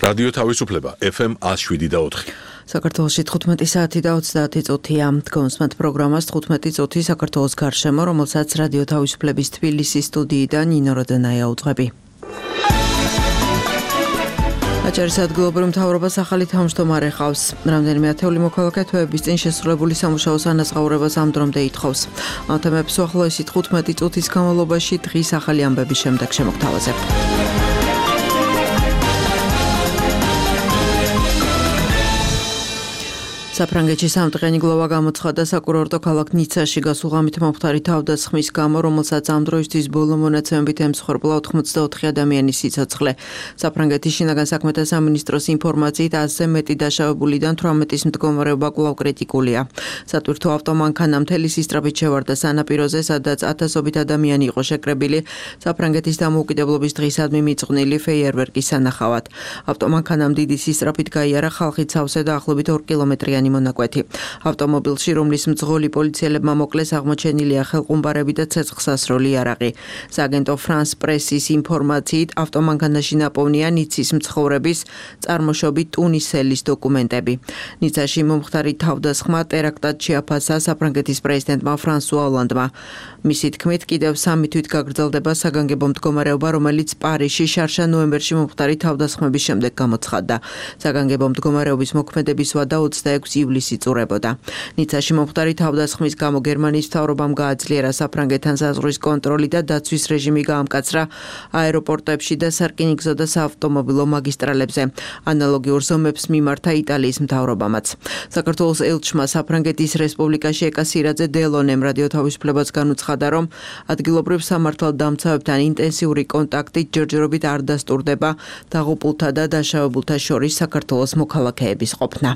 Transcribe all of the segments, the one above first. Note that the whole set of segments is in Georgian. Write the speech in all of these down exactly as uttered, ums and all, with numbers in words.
რადიო თავისუფლება ეფ ემ one oh seven და four. საქართველოში თხუთმეტი საათი და ოცდაათი წუთია. Დგომსმათ პროგრამას თხუთმეტი წუთი საქართველოს გარშემო, რომელსაც რადიო თავისუფლების თბილისის სტუდიიდან ნინო როდენაია უძღვები. აჭარის ადგილობრივ მთავრობას ახალი თავმჯდომარე ჰყავს. რამდენიმე ათეული მოქალაქე თვეების წინ შესრულებული სამუშაოს ანაზღაურებას ამ დრომდე ითხოვს. ამ თემებს უახლოესი თხუთმეტი წუთის განმავლობაში დღის ახალი ამბების შემდეგ შემოგთავაზებ. საფრანგეთში სამტყენი გლოვა გამოცხადდა საკურორტო ქალაქ ნიცაში გასულ ღამით მომხდარი თავდასხმის გამო, რომელსაც ამ დროისთვის ბოლო მონაცემებით ემსხვერპლა ოცდაოთხი ადამიანის სიცოცხლე. საფრანგეთის შინაგან საქმეთა სამინისტროს ინფორმაციით ასზე მეტი დაშავებულიდან თვრამეტის მდგომარეობა კვლავ კრიტიკულია. სატვირთო ავტომანქანა მთელი სისწრაფით შევარდა სანაპიროზე, სადაც ათასობით ადამიანი იყო შეკრებილი საფრანგეთის დამოუკიდებლობის დღისადმი მიწყვნილი ფეიერვერკის სანახავად. ავტომანქანამ დიდი სისწრაფით გაიარა ხალხით სავსე და ახლობით ორ კილომეტრიანი მონაკვეთი. ავტომობილში, რომლის მძღოლი პოლიციელებმა მოკლეს, აღმოჩენილია ხელყუმბარები და ცეცხლსასროლი იარაღი. სააგენტო ფრანს პრესის ინფორმაციით, ავტომანქანაში ნაპოვნია ნიცის მცხოვრების წარმოშობით ტუნისელის დოკუმენტები. ნიცაში მომხდარი თავდასხმა ტერაქტად შეაფასა საფრანგეთის პრეზიდენტმა ფრანსუა ოლანდმა. მისი თქმით, კიდევ სამი თვით გაგრძელდება საგანგებო მდგომარეობა, რომელიც პარიზში შარშა ნოემბერში მომხდარი თავდასხმების შემდეგ გამოცხადდა. საგანგებო მდგომარეობის მოქმედების ვადა ოცდაექვსი ივლისი წურებოდა. ნიცაში მომხდარი თავდასხმის გამო გერმანიის მთავრობამ გააძლიერა საფრანგეთთან საზღვრის კონტროლი და დაცვის რეჟიმი გაამკაცრა აეროპორტებში და სარკინიგზო და საავტომობილო მაგისტრალებზე. ანალოგიურ ზომებს მიმართა იტალიის მთავრობამაც. საქართველოს ელჩმა საფრანგეთის რესპუბლიკაში ეკა სირაძე დელონემ რადიო თავისუფლებას განუცხადა, რომ ადგილობრივ სამართალდამცავებთან ინტენსიური კონტაქტი ჯერჯერობით არ დასტურდება დაღუპულთა და დაშავებულთა შორის საქართველოს მოქალაქეების ყოფნა.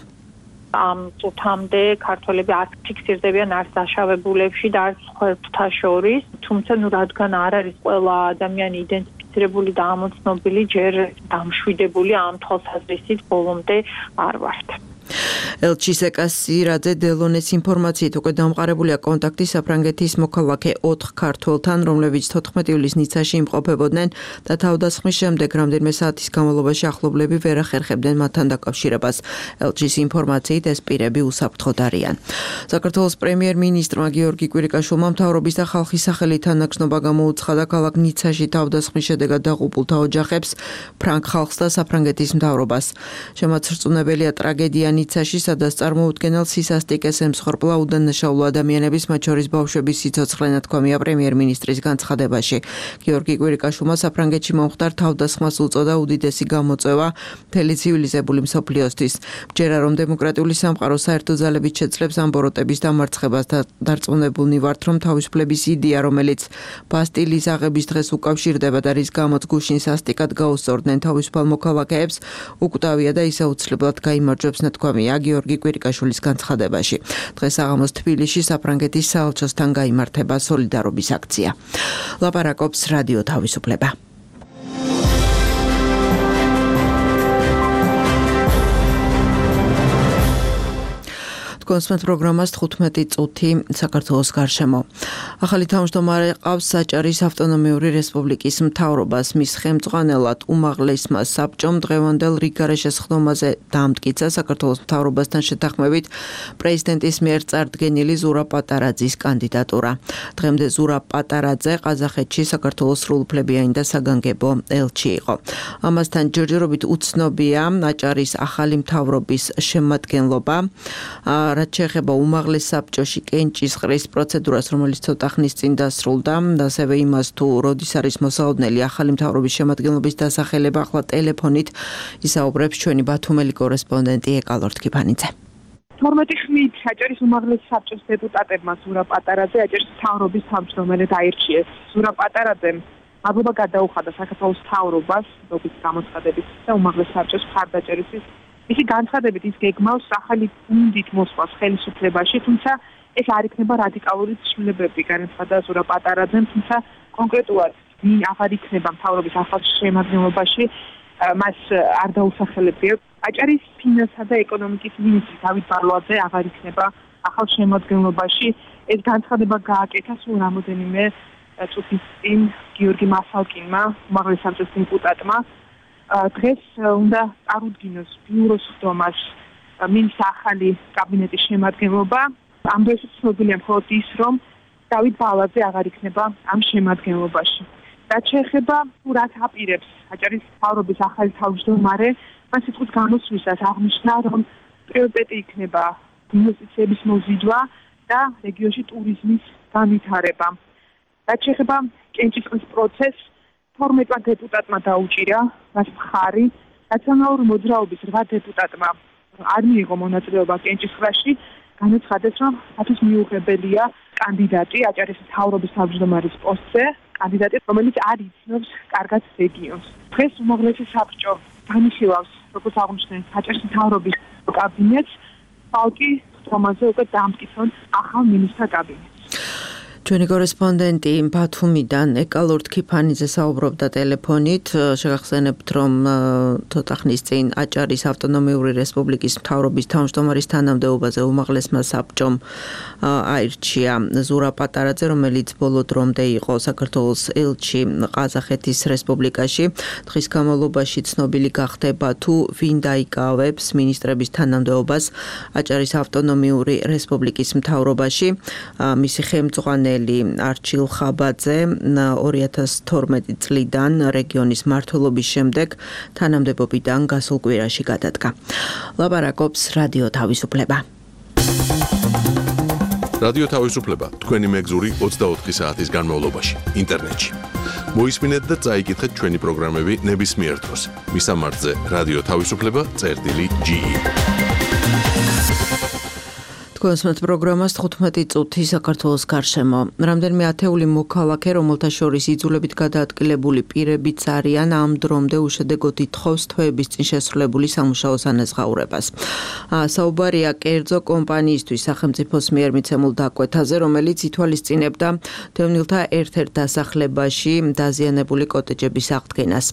ამ წუთამდე ქართველები არ ფიქსირდებიან არც დაშავებულებში და არც სხვებთან შორის, თუმცა ნუ რადგან არ არის ყველა ადამიანი იდენტიფიცირებული და ამოცნობილი, ჯერ დამშვიდებული ამ თვალსაზრისით ბოლომდე არ ვართ. ელჩის ეკა სირაძე დელონეს ინფორმაციით უკვე დამყარებულია კონტაქტი საფრანგეთის მოქალაქე ოთხ ქართველთან, რომლებიც თოთხმეტი ივლისს ნიცაში იმყოფებოდნენ და თავდასხმის შემდეგ რამდენიმე საათის განმავლობაში ახლობლები ვერ ახერხებდნენ მათთან დაკავშირებას. ელჩის ინფორმაციით ეს პირები უსაფრთხოდ არიან. საქართველოს პრემიერ-მინისტრმა გიორგი კვირიკაშვილმა მთავრობის და ხალხის სახელით თანაგრძნობა გამოუცხადა ქალაქ ნიცაში თავდასხმის შედეგად დაღუპულთა ოჯახებს, ფრანგ ხალხს და საფრანგეთის მთავრობას. შემაცრწუნებელია ტრაგედია ნიცაში, სადაც წარმოუდგენელ სისასტიკეს ემსხვერპლა უდანაშაულო ადამიანების, მათ შორის ბავშვების სიცოცხლე, ნათქვამია პრემიერ-მინისტრის განცხადებაში. გიორგი კვირიკაშვილმა საფრანგეთში მომხდარ თავდასხმას უწოდა უდიდესი გამოწვევა მთელი ცივილიზებული მსოფლიოსთვის. ჯერა რომ დემოკრატიული სამყარო საერთო ძალებით შეძლებს ამ ბოროტების დამარცხებას და დარწმუნებულნი ვართ, რომ თავისუფლების იდეა, რომელიც ბასტილის აღების დღეს უკავშირდება და რის გამოც გუშინ სასტიკად გაუსწორდნენ თავისუფალ მოქალაქეებს, უკვდავია და ისე უცვლებლად გაიმარჯვებს, ნათქვამია გიორგი კვირიკაშვილის განცხადებაში. დღეს საღამოს თბილისში საფრანგეთის საელჩოსთან გაიმართება სოლიდარობის აქცია. ლაპარაკობს რადიო თავისუფლება. დგომსმათ პროგრამას თხუთმეტი წუთი საქართველოს გარშემო. ახალი თავმჯდომარე ყავს აჭარის ავტონომიური რესპუბლიკის მთავრობას. მის ხელმძღვანელად უმაღლესმა საბჭომ დღევანდელ რიგგარეშე სხდომაზე დაამტკიცა საქართველოს მთავრობასთან შეთანხმებით პრეზიდენტის მიერ წარდგენილი ზურაბ პატარაძის კანდიდატურა. დღემდე ზურაბ პატარაძე ყაზახეთში საქართველოს სრულუფლებიანი და საგანგებო ელჩი იყო. ამასთან ჯერჯერობით უცნობია აჭარის ახალი მთავრობის შემადგენლობა. რაც შეეხება უმაღლეს საბჭოში კენჭისყრის პროცედურას, რომელიც ცოტა ხნის წინ დასრულდა, ასევე იმას თუ როდის არის მოსაოდნელი ახალი მთავრობის შემადგენლობის დასახელება, ახლა ტელეფონით ისაუბრებს ჩვენი ბათუმელი კორესპონდენტი ეკალორთ კიფანიძე. თორმეტი ხმით აჭარის უმაღლეს საბჭოს დეპუტატებმა ზურაბ პატარაძე აჭარის მთავრობის თავმჯდომარედ აირჩიეს. ზურაბ პატარაძემ მადლობა გადაუხადა საქართველოს მთავრობას დობის გამოცხადებით და უმაღლეს საბჭოს მხარდაჭერისთვის. მისი განცხადებით ის გეგმავს ახალი გუნდით მოსვლას ხელისუფლებაში, თუმცა ეს არ იქნება რადიკალური ცვლილებები, განაცხადა ზურაბ პატარაძემ, თუმცა კონკრეტულად ვინ აღარ იქნება მთავრობის ახალ შემადგენლობაში, მას არ დაუსახელებია. აჭარის ფინანსთა და ეკონომიკის მინისტრი დავით ბარლოაძე აღარ იქნება ახალ შემადგენლობაში. ეს განცხადება გააკეთა სულ რამოდენიმე წუთის წინ გიორგი მასალკინმა, უმაღლეს საბჭოს დეპუტატმა. დღეს უნდა წარუდგინოს ბიუროს ხდომას მინს ახალი კაბინეტის შემადგენლობა. ამ დროს ცნობილია მხოლოდ ის, რომ დავით ბალაძე აღარ იქნება ამ შემადგენლობაში. რაც შეეხება თუ რაც აპირებს აჭარის მთავრობის ახალი თავმჯდომარე, მას სიტყვის გამოსვლისას აღნიშნა, რომ პრიორიტეტი იქნება ინვესტიციების მოზიდვა და რეგიონში ტურიზმის განვითარება. რაც შეეხება კენჭისყრის პროცესს, თორმეტმა დეპუტატმა დაუჭირა მას მხარი, რაციონალური მოძრაობის რვა დეპუტატმა არ მიიღო მონაწილეობა კენჭისყრაში, განაცხადეს, რომ მათთვის მიუღებელია კანდიდატი აჭარის მთავრობის თავმჯდომარის პოსტზე, კანდიდატი, რომელიც არ იცნობს კარგად რეგიონს. დღეს უმაღლესი საბჭო განიხილავს, როგორც აღნიშნეთ, აჭარის მთავრობის კაბინეტს, ბალკი ხდომაზე უკვე დამტკიცონ ახალ მინისტრთა კაბინეტს. ჩვენი კორესპონდენტი ბათუმიდან ეკალორდ ქიფანიძე საუბრობდა ტელეფონით. შეგახსენებთ, რომ ცოტა ხნის წინ აჭარის ავტონომიური რესპუბლიკის მთავრობის თავმჯდომარის თანამდებობაზე უმაღლესმა საბჭომ აირჩია ზურა პატარაძე, რომელიც ბოლო დრომდე იყო საქართველოს ელჩი ყაზახეთის რესპუბლიკაში. დღის განმავლობაში ცნობილი გახდება თუ ვინ დაიკავებს მინისტრების თანამდებობას აჭარის ავტონომიური რესპუბლიკის მთავრობაში. მისი ხელმძღვანელი არჩილ ხაბაძე ორი ათას თორმეტი წლიდან რეგიონის მმართველობის შემდეგ თანამდებობიდან გასულ კვირაში გადადგა. ლაპარაკობს რადიო თავისუფლება. რადიო თავისუფლება თქვენი მეგზური ოცდაოთხი საათის განმავლობაში ინტერნეტში. მოისმინეთ და წაიკითხეთ ჩვენი პროგრამები ნებისმიერ დროს. მისამართზე რადიო თავისუფლება წერტილი ჯი ი. კონსმეთ პროგრამას თხუთმეტი წუთი საქართველოს გარშემო. რამდენიმე ათეული მოქალაქე, რომელთა შორის იძულებით გადაადგილებული პირებიც არიან, ამ დრომდე უშედეგოდ ითხოვს თვეების წინ შესრულებული სამუშაო ანაზღაურებას. საუბარია კერძო კომპანიისთვის სახელმწიფოს მიერ მიცემულ დაკვეთაზე, რომელიც ითვალისწინებდა დევნილთა ერთ-ერთ დასახლებაში დაზიანებული კოტეჯების აღდგენას.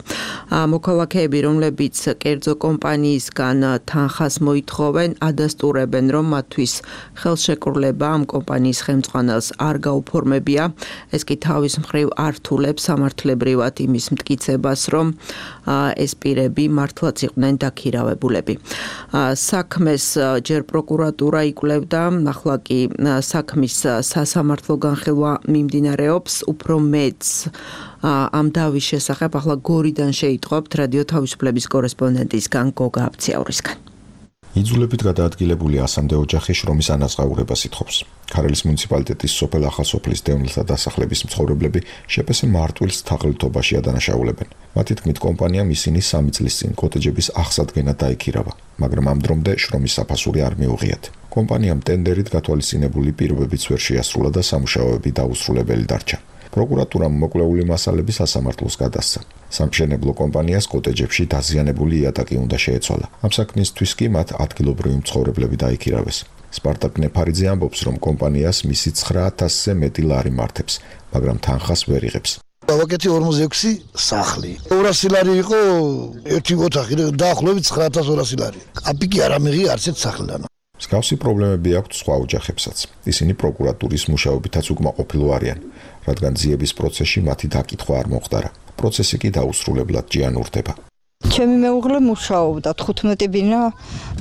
მოქალაქეები, რომლებიც კერძო კომპანიისგან თანხას მოითხოვენ, ადასტურებენ, რომ მათთვის ხელშეკრულება ამ კომპანიის ხელმძღვანელს არ გაუფორმებია. ეს კი თავის მხრივ ართულებს სამართლებრივად იმის მტკიცებას, რომ ეს პირები მართლაც იყვნენ დაქირავებულები. საქმეს ჯერ პროკურატურა იკვლევდა, ახლა კი საქმის სასამართლო განხილვა მიმდინარეობს, უფრო მეც ამ დავის შესახებ ახლა გორიდან შეიტყობთ რადიო თავისუფლების კორესპონდენტისგან გოგა აბციაურისგან. იძულებით გადაადგილებული ასამდე ოჯახი შრომის ანაზღაურებას ითხოვს. ქარელის მუნიციპალიტეტის სოფელ ახალსოფლის დევნილთა დასახლების მცხოვრებლები შეპესე მარტვილს თაღლითობაში ადანაშაულებენ. მათი თქმით, კომპანიამ ისინი სამი წლის წინ კოტეჯების აღსადგენად დაიქირავა, მაგრამ ამ დრომდე შრომის საფასური არ მიუღიათ. კომპანიამ ტენდერით გათვალისწინებული პირობებიც ვერ შეასრულა და სამუშაოები დაუსრულებელი დარჩა. პროკურატურამ მოკვლეული მასალები სასამართლოს გადასცა. სამშენებლო კომპანიას კოტეჯებში დაზიანებული იატაკი უნდა შეეცვალა. ამ საქმისთვის კი მათ ადგილობრივი მცხოვრებლები დაიქირავეს. სპარტაკ ნეფარიძე ამბობს, რომ კომპანიას მისი ცხრა ათასზე მეტი ლარი მართებს, მაგრამ თანხას ვერ იღებს. ვაკეთი ორმოცდაექვსი სახლი. ორასი ლარი იყო ერთი ოთახი, დაახლოებით ცხრა ათას ორასი ლარი. კაპიკი არ ამიღია არც ერთ სახლიდან. მსგავსი პრობლემები აქვთ სხვა ოჯახებსაც. ისინი პროკურატურის მუშაობითაც უკმაყოფილო არიან, რადგან ძიების პროცესში მათი დაკითხვა არ მოხდარა. პროცესი კი დაუსრულებლად ჯიანურდება. ჩემი მეუღლე მუშაობდა თხუთმეტი ბინა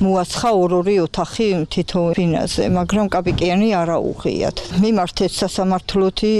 მოაცხა ორ-ორი ოთახი თითო ბინაზე, მაგრამ კაპიკიანი არ აუღიათ. მიმართეთ სასამართლოთი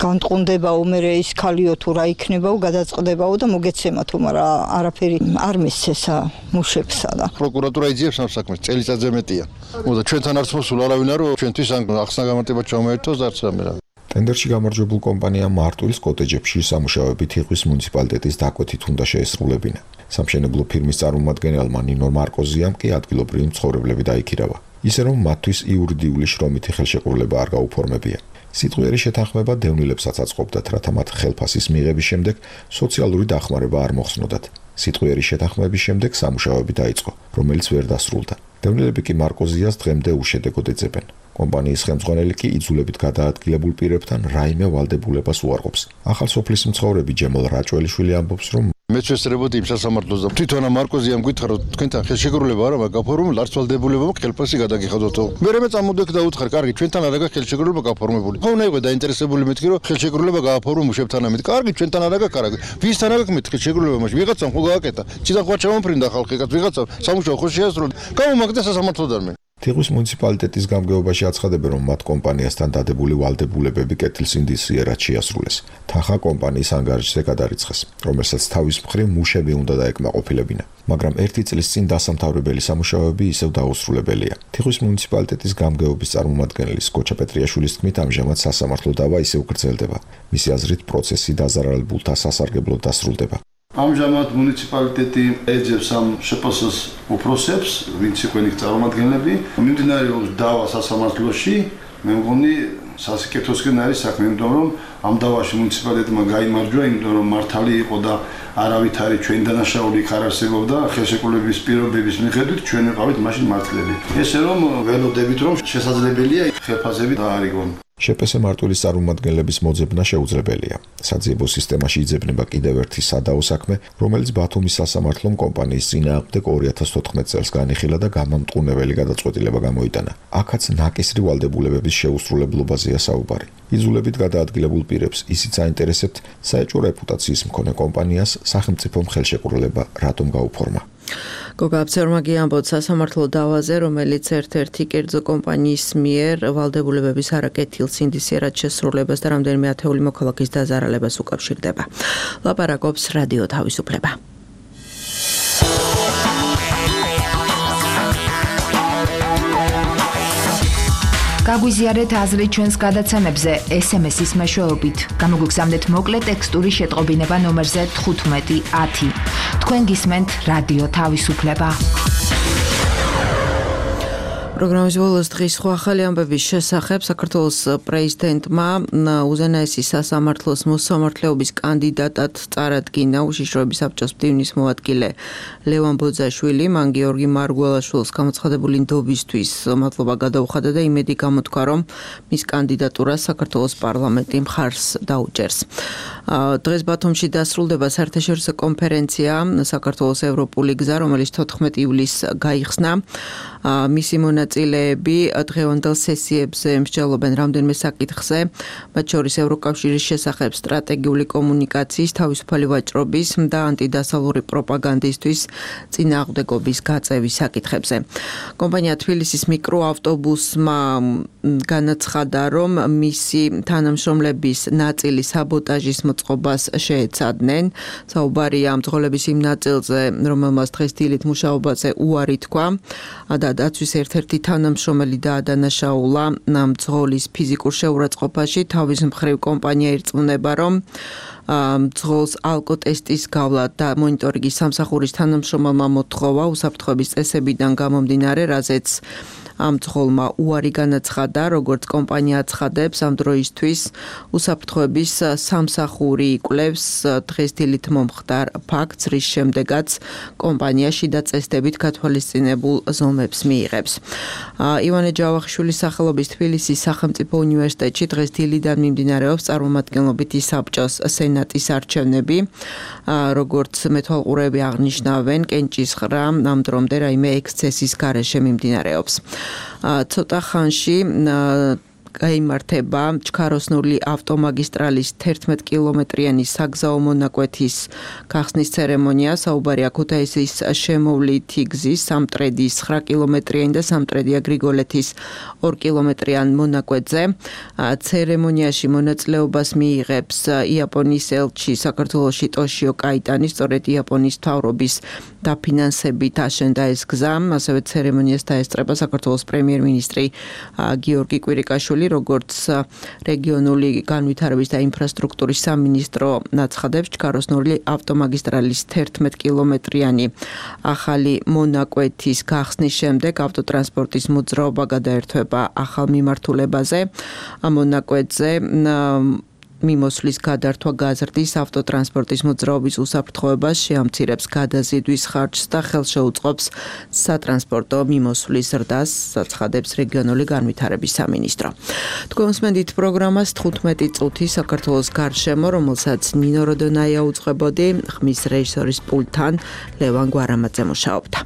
განწყუნდებაო, მერე ის ქალიო თუ რა იქნებაო, გადაწყდებაო და მოგეცემათო, მაგრამ არაფერი არ მისცესა მუშებსა და პროკურატურა იძიებს ამ საქმეს, წელიწადზე მეტია. მოდა ჩვენთან არც მოსულ არავინ არ ჩვენთვის ან ახსნა გამარტება ჩამოერთოს არც რამე რა. ტენდერში გამარჯვებულ კომპანიამ მარტვილს კოტეჯებში სამუშაოებით იხვის მუნიციპალიტეტის დაკვეთით უნდა შეესრულებინა. სამშენებლო ფირმის წარმომადგენელმა ნინო მარკოზიამ კი ადგილობრივი მცხოვრებლები დაიქირავა. ისე რომ მათთვის იურიდიული შრომითი ხელშეკრულება არ გაუფორმებია. სიტყვიერი შეთანხმება დევნილებსაც აწყობდათ, რათა მათ ხელფასის მიღების შემდეგ სოციალური დახმარება არ მოხსნოდათ. სიტყვიერი შეთანხმების შემდეგ სამუშაოები დაიწყო, რომელიც ვერ დასრულდა. დევნილები კი მარკოზიას დღემდე უშედეგოდ ეძებენ. კომპანიის ხელმძღვანელი კი იძულებით გადაადგილებულ პირებთან რაიმე ვალდებულებას უარყოფს. ახალსოფლის მცხოვრები ჯემალ რაჭველიშვილი ამბობს, რომ მეც ვესწრებოდი იმ სასამართლოს და თვითონ მარკოზიამ გითხრა რომ თქვენთან ხელშეკრულება არა მაქვს გაფორმებული, არც ვალდებულებამ ხელფასი გადაგიხადოთო. მე მე წამოდեք და უთხარ, კარგი, ჩვენთან არა გაქვს ხელშეკრულება გაფორმებული. ხო უნდა იყო დაინტერესებული მეთქი რომ ხელშეკრულება გააფორმო მუშებთან ამით. კარგი, ჩვენთან არა გაქვს, კარგი. ვისთან არა გაქვს მეთქი ხელშეკრულება, მაშინ ვიღაცამ ხო გააკეთა. ციდან ხო ჩამომფრინდა ხალხი, კაც ვიღაცამ სამუშაო ხო შეასრულა. გამომაგდა სასამართლოდან მე. თიხვის მუნიციპალიტეტის გამგეობაში აცხადებენ, რომ მათ კომპანიასთან დადებული ვალდებულებები კეთილსინდისიერად შეასრულეს. თანხა კომპანიის ანგარიშზე გადარიცხეს, რომელსაც თავის მხრივ მუშები უნდა დაეკმაყოფილებინა. მაგრამ ერთი წლის წინ დასამთავრებელი სამუშაოები ისევ დაუსრულებელია. თიხვის მუნიციპალიტეტის გამგეობის წარმომადგენლის გოჩა პეტრიაშვილის თქმით, ამჟამად სასამართლო დავა ისევ გრძელდება. მისი აზრით, პროცესი დაზარალებულთა სასარგებლოდ დასრულდება. ამჟამად მუნიციპალიტეტი ეძებს ამ შპს-ს უფროსებს, ვინც იყვნენ იქ წარმომადგენლები, მიმდინარეობს დავა სასამართლოში. მე მგონი სასიკეთოსკენ არის საქმე, იმიტომ რომ ამ დავაში მუნიციპალიტეტმა გაიმარჯვა, იმიტომ რომ მართალი იყო და არავითარი ჩვენ დანაშაული იქ არ არსებობდა, ხელშეკრულების პირობების მიხედვით ჩვენ ვიყავით მაშინ მართლები. ესე რომ ველოდებით რომ შესაძლებელია ხელფასები დაარიგონ. შპს მარტვილის წარმომადგენლების მოძებნა შეუძლებელია. საძიებო სისტემაში იძებნება კიდევ ერთი სადაო საქმე, რომელიც ბათუმის სასამართლომ კომპანიის წინააღმდეგ ორი ათას თოთხმეტ წელს განიხილა და გამამტყუნებელი გადაწყვეტილება გამოიტანა. აქაც ნაკისრი ვალდებულებების შეუსრულებლობაზეა საუბარი. იძულებით გადაადგილებულ პირებს ისიც აინტერესებთ საეჭვო რეპუტაციის მქონე კომპანიას სახელმწიფომ ხელშეკრულება რატომ გაუფორმა. გოგა აბცერმაგი ამბობს სასამართლო დავაზე, რომელიც ერთ-ერთი კერძო კომპანიის მიერ ვალდებულებების არაკეთილსინდისიერად შესრულებას და რამდენიმე ათეული მოქალაქის დაზარალებას უკავშირდება. ლაპარაკობს რადიო თავისუფლება. გაგვიზიარეთ აზრი ჩვენს გადაცემებზე ეს ემ ეს-ის მეშვეობით. გამოგვიგზავნეთ მოკლე ტექსტური შეტყობინება ნომერზე თხუთმეტი ათი. თქვენ გისმენთ რადიო თავისუფლება. პროგრამის ბოლოს დღის სხვა ახალი ამბების შესახებ საქართველოს პრეზიდენტმა უზენაესი სასამართლოს მოსამართლეობის კანდიდატად წარადგინა უშიშროების საბჭოს მდივნის მოადგილე ლევან ბოძაშვილი. მან გიორგი მარგველაშვილს გამოცხადებული ნდობისთვის მადლობა გადაუხადა და იმედი გამოთქვა, რომ მის კანდიდატურას საქართველოს პარლამენტი მხარს დაუჭერს. დღეს ბათუმში დასრულდება საერთაშორისო კონფერენცია საქართველოს ევროპული გზა, რომელიც თოთხმეტი ივლისს გაიხსნა. მისი მონაწილეები დღევანდელ სესიებზე მსჯელობენ რამდენიმე საკითხზე, მათ შორის ევროკავშირის შესახებ სტრატეგიული კომუნიკაციის, თავისუფალი ვაჭრობის და ანტიდასავლური პროპაგანდისთვის წინააღმდეგობის გაწევის საკითხებზე. კომპანია თბილისის მიკროავტობუსმა განაცხადა, რომ მისი თანამშრომლების ნაწილი საბოტაჟის მოწყობას შეეცადნენ. საუბარია მძღოლების იმ ნაწილზე, რომელმაც დღეს დილით მუშაობაზე უარი თქვა და დაცვის ერთ-ერთი თანამშრომელი დაადანაშაულა მძღოლის ფიზიკურ შეურაცხყოფაში. თავის მხრივ კომპანია ირწმუნება, რომ მძღოლს ალკოტესტის გავლა და მონიტორინგის სამსახურის თანამშრომელმა მოთხოვა უსაფრთხოების წესებიდან გამომდინარე, რაზეც ამ მძღოლმა უარი განაცხადა, როგორც კომპანია აცხადებს, ამ დროისთვის უსაფრთხოების სამსახური იკვლევს დღეს დილით მომხდარ ფაქტს, რის შემდეგაც კომპანია შიდა წესდებით გათვალისწინებულ ზომებს მიიღებს. ივანე ჯავახიშვილის სახელობის თბილისის სახელმწიფო უნივერსიტეტში დღეს დილიდან მიმდინარეობს წარმომადგენლობითი საბჭოს სენატის არჩევნები. როგორც მეთვალყურეები აღნიშნავენ, კენჭისყრა ამ დრომდე რაიმე ექსცესის გარეშე მიმდინარეობს. ცოტა ხანში გაიმართება ჩქაროსნული ავტომაგისტრალის თერთმეტ კილომეტრიანი საგზაო მონაკვეთის გახსნის ცერემონია. საუბარია ქუთაისის შემოვლითი გზის სამტრედის ცხრა კილომეტრიანი და სამტრედია გრიგოლეთის ორი კილომეტრიან მონაკვეთზე. ცერემონიაში მონაწილეობას მიიღებს იაპონიის ელჩი საქართველოში ტოშიო კაიტანი, სწორედ იაპონიის მთავრობის დაფინანსებით აშენდა ეს გზა. ასევე ცერემონიას დაესწრება საქართველოს პრემიერ-მინისტრი გიორგი კვირიკაშვილი, როგორც რეგიონული განვითარების და ინფრასტრუქტურის სამინისტრო აცხადებს, ჩქაროსნული ავტომაგისტრალის თერთმეტ კილომეტრიანი ახალი მონაკვეთის გახსნის შემდეგ ავტოტრანსპორტის მოძრაობა გადაერთვება ახალ მიმართულებაზე. ამ მონაკვეთზე მიმოსვლის გადართვა გაზრდის ავტოტრანსპორტის მოძრაობის უსაფრთხოებას, შეამცირებს გადაზიდვის ხარჯს და ხელშეუწყობს სატრანსპორტო მიმოსვლის ზრდას, აცხადებს რეგიონული განვითარების სამინისტრო. თქვენ უსმენთ პროგრამას თხუთმეტი წუთი საქართველოს გარშემო, რომელსაც ნინო როდონაია უძღვებოდი, ხმის რეჟისორის პულტთან ლევან გვარამაძე მუშაობდა.